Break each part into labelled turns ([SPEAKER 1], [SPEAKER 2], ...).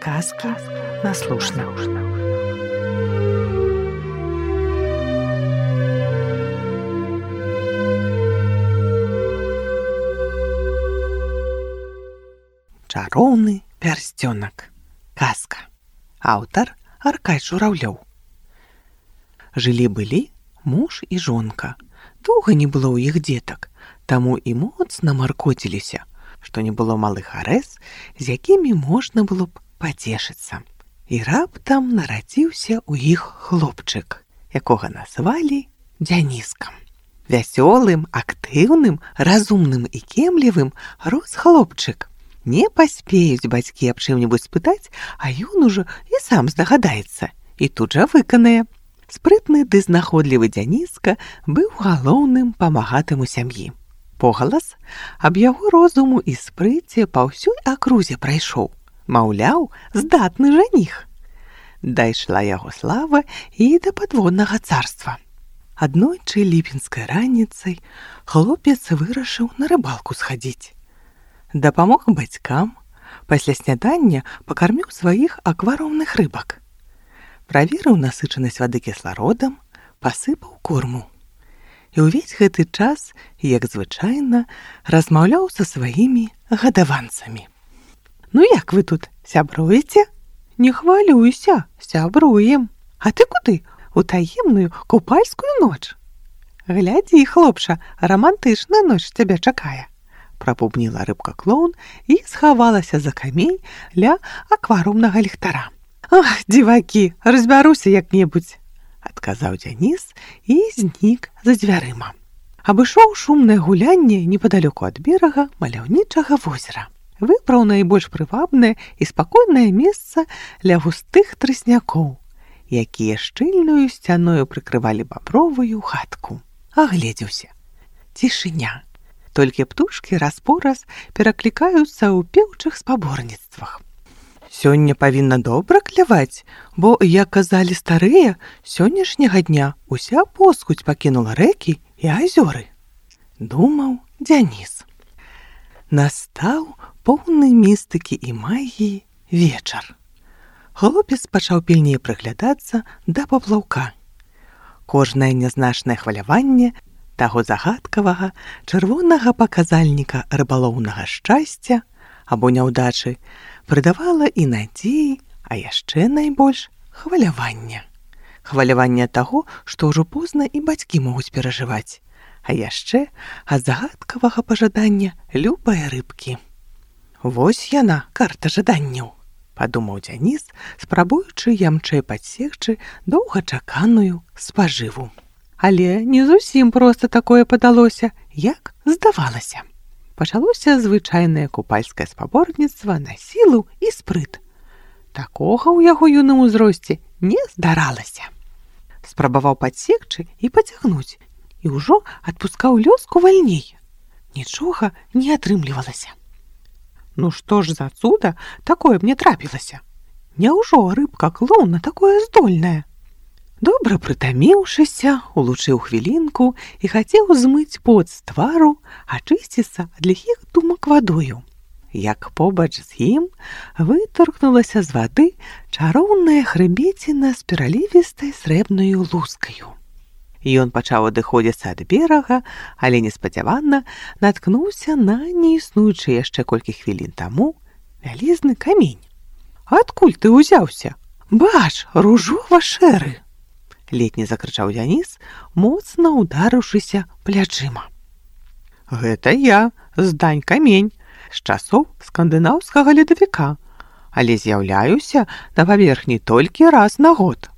[SPEAKER 1] Сказки на слушна. Чароўны пярсцёнак. Казка. Аўтар Аркадзь Журавлёў. Жылі-былі муж і жонка. Доўга не было ў іх дзетак, таму і моцна маркоціліся, што не было малых арэз, з якімі можна было б пацешыцца. І раптам нарадзіўся ў іх хлопчык, якога назвалі Дзяніскам. Вясёлым, актыўным, разумным і кемлівым рос хлопчык. Не паспеюць бацькі аб чым-небудзь спытаць, а ён ужо і сам здагадаецца, і тут жа выканае. Спрытны ды знаходлівы Дзяніска быў галоўным памагатым у сям'і. Погалас аб яго розуму і спрыце па ўсёй акрузе прайшоў. Маўляў, здатны жаніх. Дайшла яго слава і да падводнага царства. Аднойчы ліпеньскай раніцай хлопец вырашыў на рыбалку схадзіць. Дапамог бацькам, пасля снядання пакарміў сваіх акварыумных рыбак. Праверыў насычанасць вады кіслародам, пасыпаў корму. І ўвесь гэты час, як звычайна, размаўляў са сваімі гадаванцамі. «Ну як вы тут, сябруеце?» «Не хвалюйся, сябруем. А ты куды? У таемную купальскую ноч?» «Глядзі, хлопча, романтычная ноч цябе чакае», прапубніла рыбка-клоун і схавалася за камень ля акварыумнага ліхтара. «Ах, дзівакі, разбяруся як-небудзь», адказаў Дзянис і знік за дзвярыма. Абышоў шумнае гулянне непадалёку ад берага маляўнічага возера. Выбраў найбольш прывабнае і спакойнае месца ля густых трыснякоў, якія шчыльнаю сцяною прыкрывалі бабровую хатку. Агледзеўся. Цішыня. Толькі птушкі раз-пораз пераклікаюцца ў пеўчых спаборніцтвах. Сёння павінна добра кляваць, бо, як казалі старыя, сённяшняга дня уся поскудзь пакінула рэкі і азёры. Думаў Дзянис. Настаў поўны містыкі і магіі вечар. Хлопец пачаў пільней прыглядацца да паплаўка. Кожнае нязначнае хваляванне таго загадкавага чырвонага паказальніка рыбалоўнага шчасця або няўдачы прыдавала і надзеі, а яшчэ найбольш хвалявання. Хваляванне таго, што ўжо позна і бацькі могуць перажываць, а яшчэ ад загадкавага пажадання любай рыбкі. «Вось яна, карта жаданняў», падумаў Дзянис, спрабуючы ямчэй падсекчы доўгачаканую спажыву. Але не зусім проста такое падалося, як здавалася. Пачалося звычайнае купальскае спаборніцтва на сілу і спрыт. Такога ў яго юным узросце не здаралася. Спрабаваў падсекчы і пацягнуць, і ўжо адпускаў лёску вальней. Нічога не атрымлівалася. Ну што ж за цуда такое мне трапілася? Няўжо рыбка-клоун на такое здольная? Добра прытаміўшыся, улучыў хвілінку і хацеў змыць пот з твару, ачысціцца ад ліхіх думак вадою. Як побач з ім вытаркнулася з вады чароўная хрыбеціна з пералівістай срэбнаю лускаю. Ён пачаў адыходзіцца ад берага, але неспадзявана наткнуўся на неіснуючы яшчэ колькі хвілін таму вялізны камень. «Адкуль ты ўзяўся? Бач, ружова-шэры!» летні закрычаў Дзянис, моцна ударыўшыся плячыма. «Гэта я, Здань камень, з часоў скандынаўскага ледавіка, але з'яўляюся на паверхні толькі раз на год».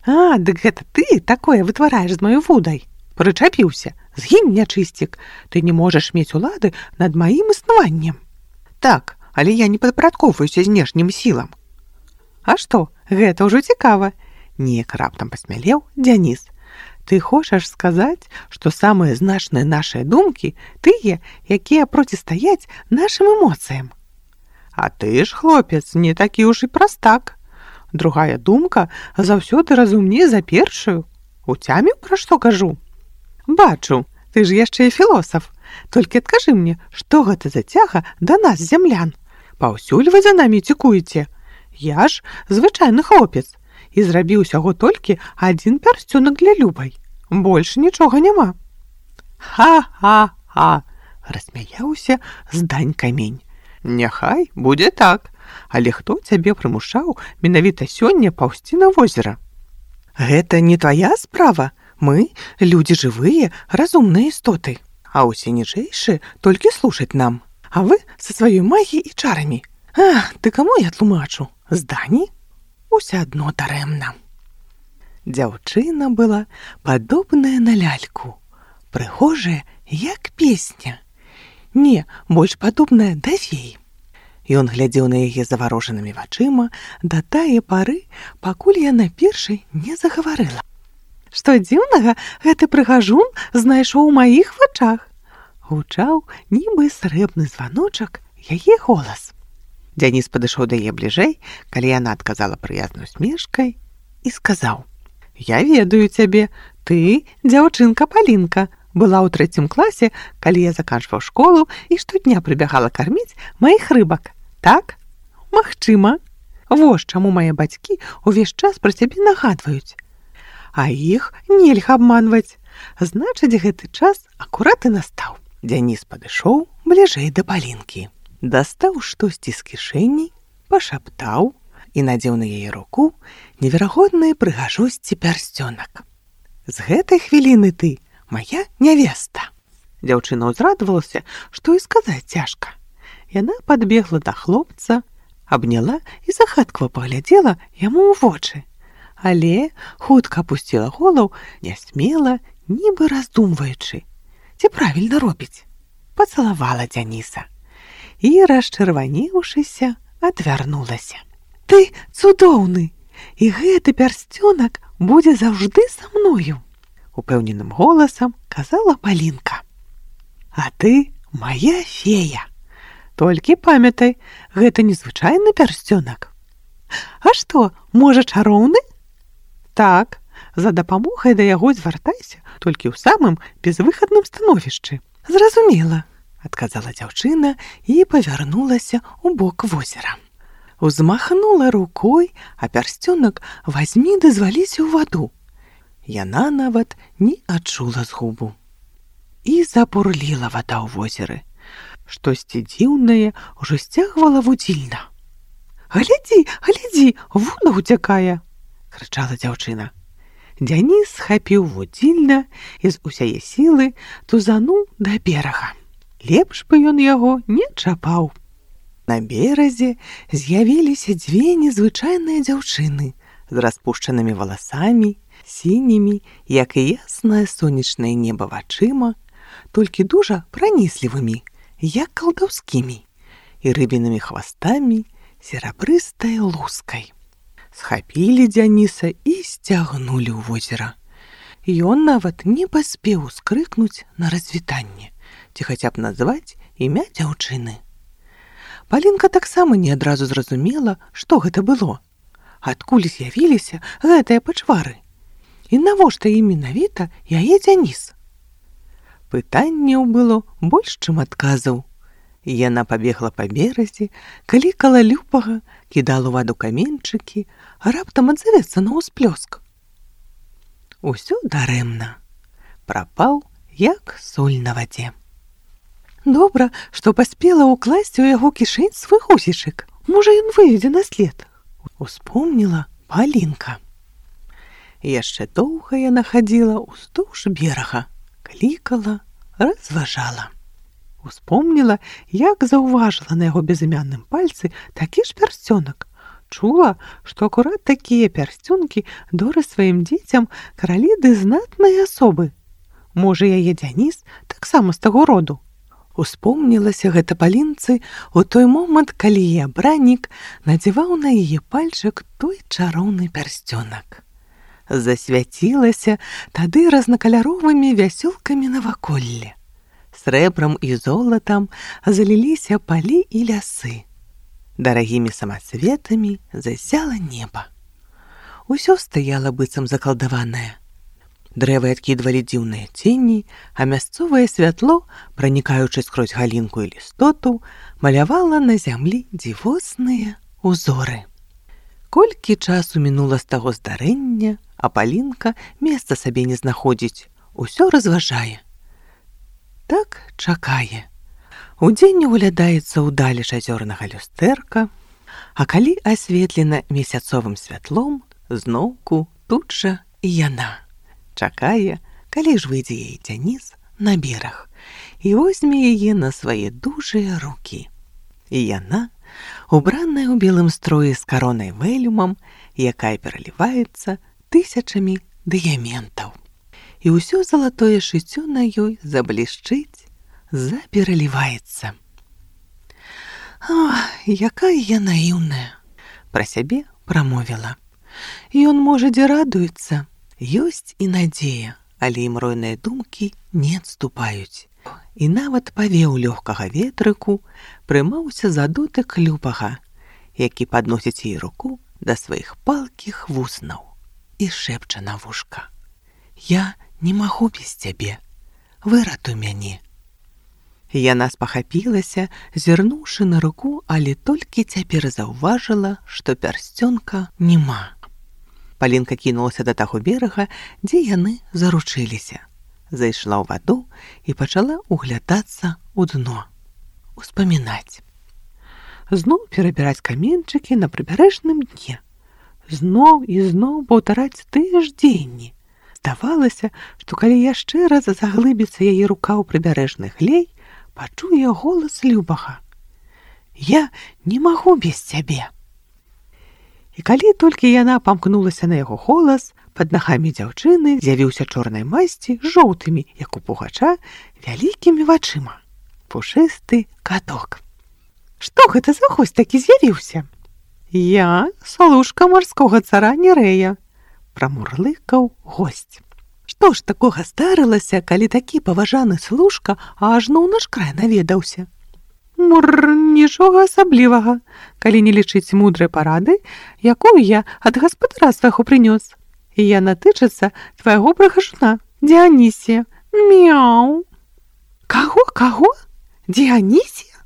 [SPEAKER 1] «А, дык гэта ты такое вытвараеш з маёй вудай? Прычапіўся, згінь, нячысцік, ты не можаш мець улады над маім існаваннем». «Так, але я не падпарадкоўваюся знешнім сілам». «А што, гэта ўжо цікава», неяк раптам пасмялеў Дзянис. «Ты хочаш сказаць, што самыя значныя нашыя думкі тыя, якія процістаяць нашым эмоцыям?» «А ты ж, хлопец, не такі ўж і прастак. Другая думка заўсёды разумней за першую. Уцяміў, пра што кажу?» «Бачу, ты ж яшчэ і філосаф. Толькі адкажы мне, што гэта за цяга да нас, зямлян? Паўсюль вы за намі цікуеце? Я ж звычайны хлопец і зрабіў усяго толькі адзін пярсцёнак для Любай. Больш нічога няма. Ха-ха-ха, рассмяяўся здань камень. Няхай будзе так, але хто цябе прымушаў менавіта сёння паўзці на возера? Гэта не твая справа. Мы людзі жывыя, разумныя істоты, а ўсе ніжэйшыя толькі слушаць нам. А вы са сваёй магіяй і чарамі. Ты каму я тлумачу? Здані? Уся адно дарэмна. Дзяўчына была падобная на ляльку, прыгожая, як песня. Не, больш падобная да феі. Ён глядзеў на яе заварожанымі вачыма да тае пары, пакуль яна першай не загаварыла. Што дзіўнага, гэты прыгажун знайшоў у маіх вачах. Гучаў, нібы срэбны званочак, яе голас. Дзяніс падышоў да яе бліжэй, калі яна адказала прыязнай усмешкай і сказаў: «Я ведаю цябе, ты дзяўчынка Палінка, была ў 3 класе, калі я заканчваў школу і штодня прыбягала карміць маіх рыбак. Так? Магчыма. Вось чаму мае бацькі ўвесь час пра цябе нагадваюць. А іх нельга абманваць. Значыць, гэты час акурат і настаў». Дзяніс падышоў бліжэй да Палінкі, дастаў штосьці з кішэні, пашаптаў і надзеў на яе руку неверагоднай прыгажосці пярсцёнак. «З гэтай хвіліны ты моя нявеста». Дзяўчына ўзрадавалася, што і сказаць цяжка. Яна падбегла да хлопца, абняла і загадкава паглядзела яму ў вочы, але хутка апусціла голову, нясмела, нібы раздумваючы, ці правільна робіць. Пацалавала Дзяніса і, расчырванеўшыся, адвярнулася. «Ты цудоўны, і гэты пярсцёнак будзе заўжды са мною», упэўненым голасам казала Палінка. «А ты моя фея. Толькі памятай, гэта незвычайны пярсцёнак». «А што, можа, чароўны?» «Так, за дапамогай да яго звяртайся, толькі ў самым безвыхадным становішчы». «Зразумела», адказала дзяўчына і павярнулася ў бок возера. Узмахнула рукой, а пярсцёнак вазьмі ды зваліся ў ваду. Яна нават не адчула згубу. І запурліла вада ў возеры. Штосьці дзіўнае ўжо сцягвала вудзільна. «Глядзі, глядзі, вода ўцякае!» крычала дзяўчына. Дзяніс схапіў вудзільна і з усяе сілы тузануў да берага. Лепш бы ён яго не чапаў. На беразе з'явіліся 2 незвычайныя дзяўчыны з распушчанымі валасамі, сінімі, як і яснае сонечнае неба вачыма, толькі дужа праніслівымі, як калдаўскімі, і рыбінымі хвастамі, серабрыстай лускай. Схапілі Дзяніса і сцягнулі ў возера. Ён нават не паспеў ускрыкнуць на развітанне, ці хаця б назваць імя дзяўчыны. Палінка таксама не адразу зразумела, што гэта было. Адкуль з'явіліся гэтыя пачвары? І навошта ім менавіта яе Дзяніс? Пытанняў было больш, чым адказаў. Яна пабегла па беразе, клікала Любага, кідала ў ваду каменьчыкі, а раптам адзавецца на ўсплёск. Усё дарэмна. Прапаў, як соль на вадзе. Добра, што паспела ўкласці ў яго кішэнь свой гусечак. Можа, ён выведзе на след. Успомніла Палінка. Яшчэ доўга яна хадзіла ўздоўж берага, клікала, разважала. Успомніла, як заўважыла на яго безымянным пальцы такі ж пярсцёнак. Чула, што акурат такія пярсцёнкі доры сваім дзецям каралі ды знатныя асобы. Можа, яе Дзяніс таксама з таго роду. Успомнілася гэта Палінцы ў той момант, калі яе абраннік надзяваў на яе пальчык той чароўны пярсцёнак. Засвяцілася тады разнакаляровымі вясёлкамі наваколле. Срэбрам і золатам заліліся палі і лясы. Дарагімі самацветамі засяла неба. Усё стаяла быццам закалдаванае. Дрэвы адкідвалі дзіўныя цені, а мясцовае святло, пранікаючы скрозь галінку і лістоту, малявала на зямлі дзівосныя узоры. Колькі часу мінула з таго здарэння, а Палінка месца сабе не знаходзіць, усё разважае. Так чакае. Удзень углядаецца ўдалі азёрнага люстэрка, а калі асветлена месяцовым святлом, зноўку тут жа і яна. Чакае, калі ж выйдзе яе Дзяніс на бераг і возьме яе на свае дужыя рукі. І яна, убраная ў белым строі з каронай вэлюмам, якая пераліваецца тысячамі дыяментаў. І ўсё залатое шыццё на ёй заблішчыць, запераліваецца. «Ах, якая я наіўная!» Пра сябе прамовіла. Ён, можа, дзе радуецца, ёсць і надзея, але і мройныя думкі не адступаюць. І нават павеў лёгкага ветрыку прымаўся за дотык любага, які падносіць ей руку да сваіх палкіх вуснаў і шэпча на вушка: «Я не магу без цябе, выратуй мяне». Яна спахапілася, зірнуўшы на руку, але толькі цяпер заўважыла, што пярсцёнка няма. Палінка кінулася да таго берага, дзе яны заручыліся. Зайшла ў ваду і пачала углядацца ў дно, успамінаць. Зноў перабіраць каменьчыкі на прыбярэжным дне. Зноў і зноў паўтараць тыя ж дзеянні. Здавалася, што калі яшчэ раз заглыбіцца яе рука ў прыбярэжны глей, пачуе голас любага: «Я не магу без цябе». І калі толькі яна памкнулася на яго голас, пад нагамі дзяўчыны з'явіўся чорнай масці з жоўтымі, як у пугача, вялікімі вачыма. Пушысты каток. «Што гэта за госць такі з'явіўся?» «Я служка марскога цара Нерэя», прамурлыкаў госць. Што ж такога здарылася, калі такі паважаны служка ажно ў наш край наведаўся? Мур, нічога асаблівага, калі не лічыць мудрай парады, якую я ад гаспадара свайго прынёс. І яна тычыцца твайго прыгажуна, Діанісія. Мяу. Каго? Діанісія?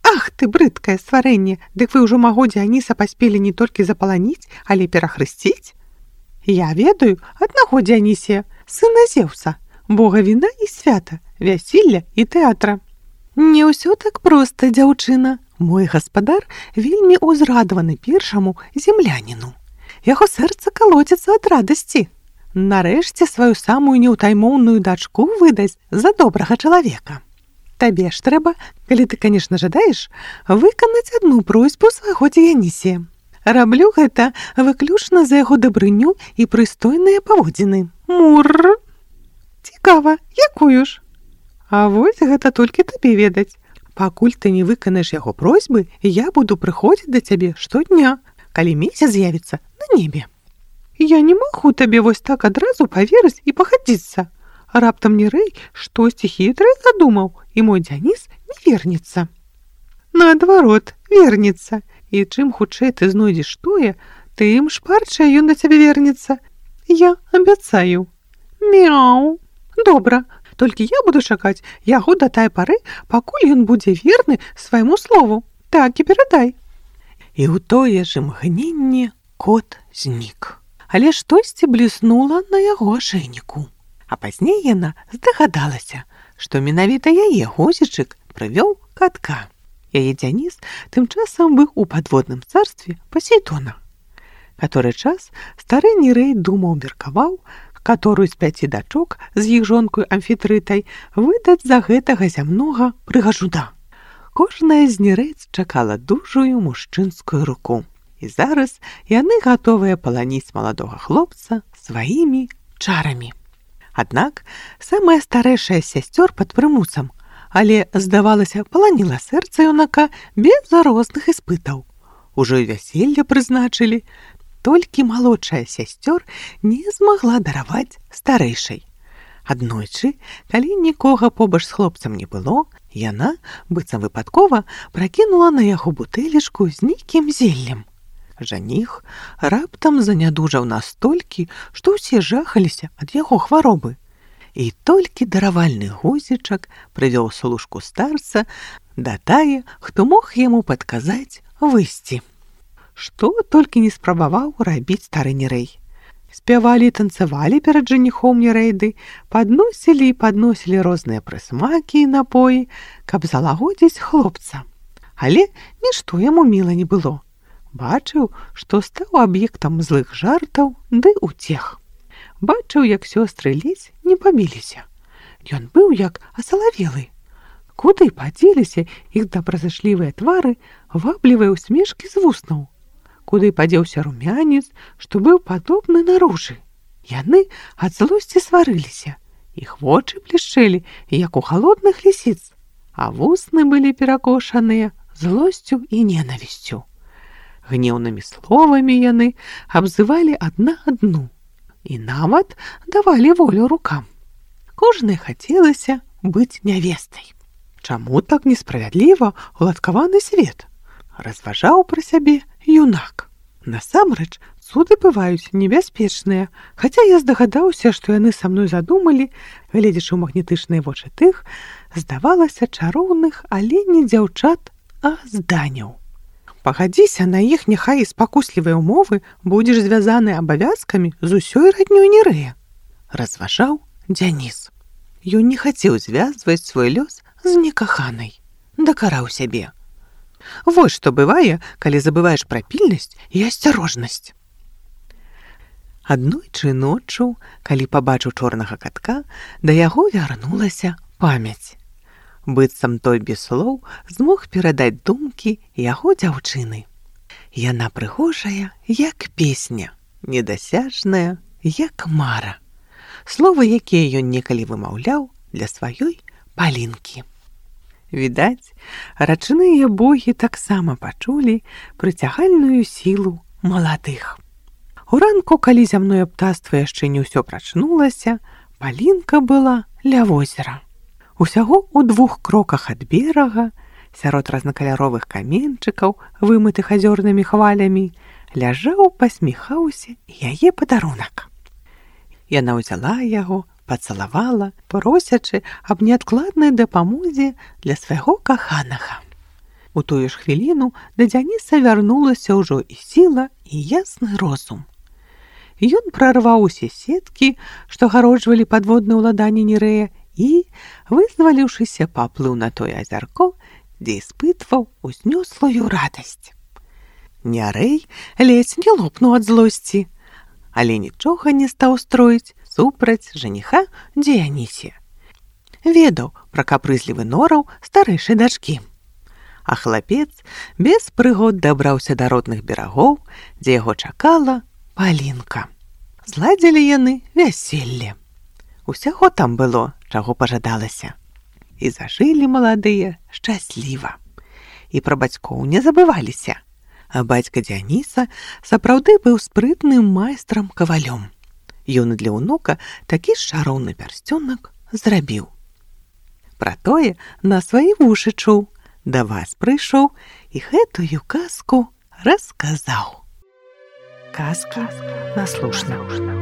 [SPEAKER 1] Ах ты, брыдкае стварэнне, дык вы ўжо маго Діаніса паспелі не толькі запаланіць, але перахрысціць? Я ведаю аднаго Діанісія, сына Зеўса, бога віна і свята, вяселля і тэатра. Не ўсё так проста, дзяўчына. Мой гаспадар вельмі ўзрадаваны першаму земляніну. Яго сэрца калоціцца ад радасці. Нарэшце сваю самую неўтаймоўную дачку выдаць за добрага чалавека. Табе ж трэба, калі ты, канешне, жадаеш, выканаць адну просьбу свайго Діянісія. Раблю гэта выключна за яго дабрыню і прыстойныя паводзіны. Мур! Цікава, якую ж? А вось гэта толькі табе ведаць. Пакуль ты не выканаеш яго просьбы, я буду прыходзіць да цябе штодня, калі месяц з'явіцца на небе. Я не магу табе вось так адразу паверыць і пагадзіцца. Раптам Нерэй штосьці хітрае задумаў, і мой Дзяніс не вернецца. Наадварот, вернецца. І чым хутчэй ты знойдзеш тое, тым шпарчэй ён да цябе вернецца. Я абяцаю. Мяу. Добра. Толькі я буду чакаць яго да тае пары, пакуль ён будзе верны свайму слову. Так і перадай. І ў тое ж імгненне кот знік. Але штосьці бліснула на яго ашэйніку. А пазней яна здагадалася, што менавіта яе гузічык прывёў катка. Яе Дзяніс тым часам быў у падводным царстве Пасейдона. Каторы час стары Нерэй думаў, меркаваў, каторую з 5 дачок з іх жонкою Амфітрытай выдаць за гэтага зямнога прыгажуна. Кожная з Нерэйц чакала дужую мужчынскую руку. І зараз яны гатовыя паланіць маладога хлопца сваімі чарамі. Аднак самая старэйшая з сясцёр пад прымусам, але, здавалася, паланіла сэрца юнака без розных іспытаў. Ужо і вяселле прызначылі, толькі малодшая сясцёр не змагла дараваць старэйшай. Аднойчы, калі нікога побач з хлопцам не было, яна, быццам выпадкова, пракінула на яго бутэлечку з нейкім зеллем. Жаніх раптам занядужаў настолькі, што ўсе жахаліся ад яго хваробы. І толькі даравальны гузічак прывёў служку старца да тае, хто мог яму падказаць выйсці. што толькі не спрабаваў рабіць стары Нерэй. Спявалі і танцавалі перад жаніхом Нерейды, падносілі і падносілі розныя прысмакі і напоі, каб залагодзіць хлопца. Але нішто яму міла не было. Бачыў, што стаў аб'ектам злых жартаў ды уцех. Бачыў, як сёстры ледзь не пабіліся. Ён быў як асалавелы. Куды падзеліся іх добразычлівыя твары, ваблівыя ўсмешкі з вуснаў? Куды падзеўся румянец, што быў падобны на ружы? Яны ад злосці сварыліся. Іх вочы блішчэлі, як у халодных лісіц, а вусны былі перакошаныя злосцю і ненавісцю. Гнеўнымі словамі яны абзывалі адна адну і нават давалі волю рукам. Кожнай хацелася быць нявестай. Чаму так несправядліва уладкаваны свет? Разважаў пра сябе юнак. Насамрэч, цуды бываюць небяспечныя, хаця я здагадаўся, што яны са мной задумалі, гледзячы ў магнетычныя вочы тых, здавалася, чароўных, але не дзяўчат, а зданяў. Пагадзіся на іх няхай і спакуслівыя ўмовы, будзеш звязаны абавязкамі з усёй раднёй Нерэя, разважаў Дзяніс. Ён не хацеў звязваць свой лёс з некаханай, дакараў сябе. Вось што бывае, калі забываеш пра пільнасць і асцярожнасць. Аднойчы ноччу, калі пабачыў чорнага катка, да яго вярнулася памяць. Быццам той без слоў змог перадаць думкі яго дзяўчыны. Яна прыгожая, як песня, недасяжная, як мара. Словы, якія ён некалі вымаўляў для сваёй Палінкі. Відаць, рачныя богі таксама пачулі прыцягальную сілу маладых. Уранку, калі зямное птаства яшчэ не ўсё прачнулася, Палінка была ля возера. Усяго ў 2 кроках ад берага, сярод разнакаляровых каменчыкаў, вымытых азёрнымі хвалямі, ляжаў, пасміхаўся яе падарунак. Яна ўзяла яго, пацалавала, просячы аб неадкладнай дапамозе для свайго каханага. У тую ж хвіліну да Дзяніса вярнулася ўжо і сіла, і ясны розум. Ён прарваў усе сеткі, што гароджвалі падводнае ўладанне Нерэя, і, вызваліўшыся, паплыў на тое азярко, дзе іспытваў узнёслую радасць. Нерэй ледзь не лопнуў ад злосці, але нічога не стаў строіць супраць жаніха Дзіянісе. Ведаў пра капрызлівы нораў старэйшай дачкі. А хлапец без прыгод дабраўся да родных берагоў, дзе яго чакала Палінка. Зладзілі яны вяселле. Усяго там было, чаго пажадалася. І зажылі маладыя шчасліва. І пра бацькоў не забываліся. А бацька Дзяніса сапраўды быў спрытным майстрам-кавалём. Ён для ўнука такі ж чароўны пярсцёнак зрабіў. Пра тое на свае вушы чуў, да вас прыйшоў і гэтую казку расказаў. Казка наслушна.